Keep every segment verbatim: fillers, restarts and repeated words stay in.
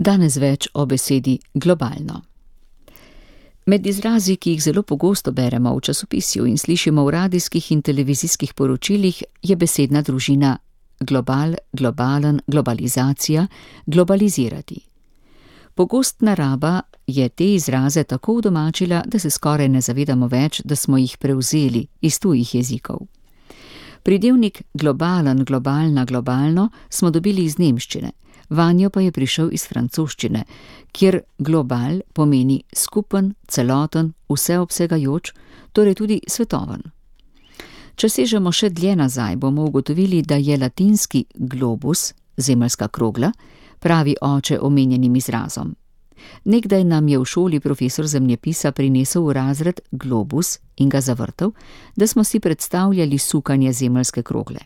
Danes več o besedi globalno. Med izrazi, ki jih zelo pogosto beremo v časopisju in slišimo v radijskih in televizijskih poročilih, je besedna družina global, globalen, globalizacija, globalizirati. Pogostna raba je te izraze tako udomačila, da se skoraj ne zavedamo več, da smo jih prevzeli iz tujih jezikov. Pridevnik globalen, globalna, globalno smo dobili iz nemščine, vanjo pa je prišel iz francoščine, kjer global pomeni skupen, celoten, vseobsegajoč, torej tudi svetoven. Če sežemo še dlje nazaj, bomo ugotovili, da je latinski globus, zemeljska krogla, pravi oče omenjenim izrazom. Nekdaj nam je v šoli profesor zemljepisa prinesel v razred globus in ga zavrtel, da smo si predstavljali sukanje zemeljske krogle.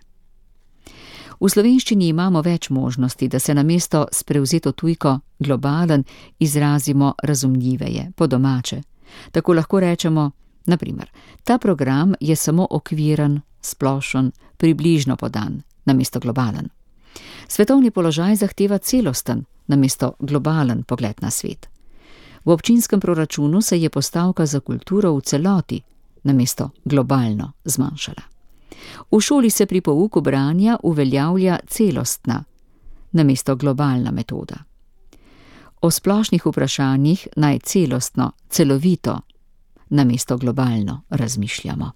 V slovenščini imamo več možnosti, da se namesto s prevzeto tujko globalen izrazimo razumljiveje, po domače. Tako lahko rečemo, na primer, ta program je samo okviren, splošen, približno podan, namesto globalen. Svetovni položaj zahteva celosten, namesto globalen pogled na svet. V občinskem proračunu se je postavka za kulturo v celoti, namesto globalno, zmanjšala. V šoli se pri pouku branja uveljavlja celostna, namesto globalna metoda. O splošnih vprašanjih naj celostno, celovito, namesto globalno razmišljamo.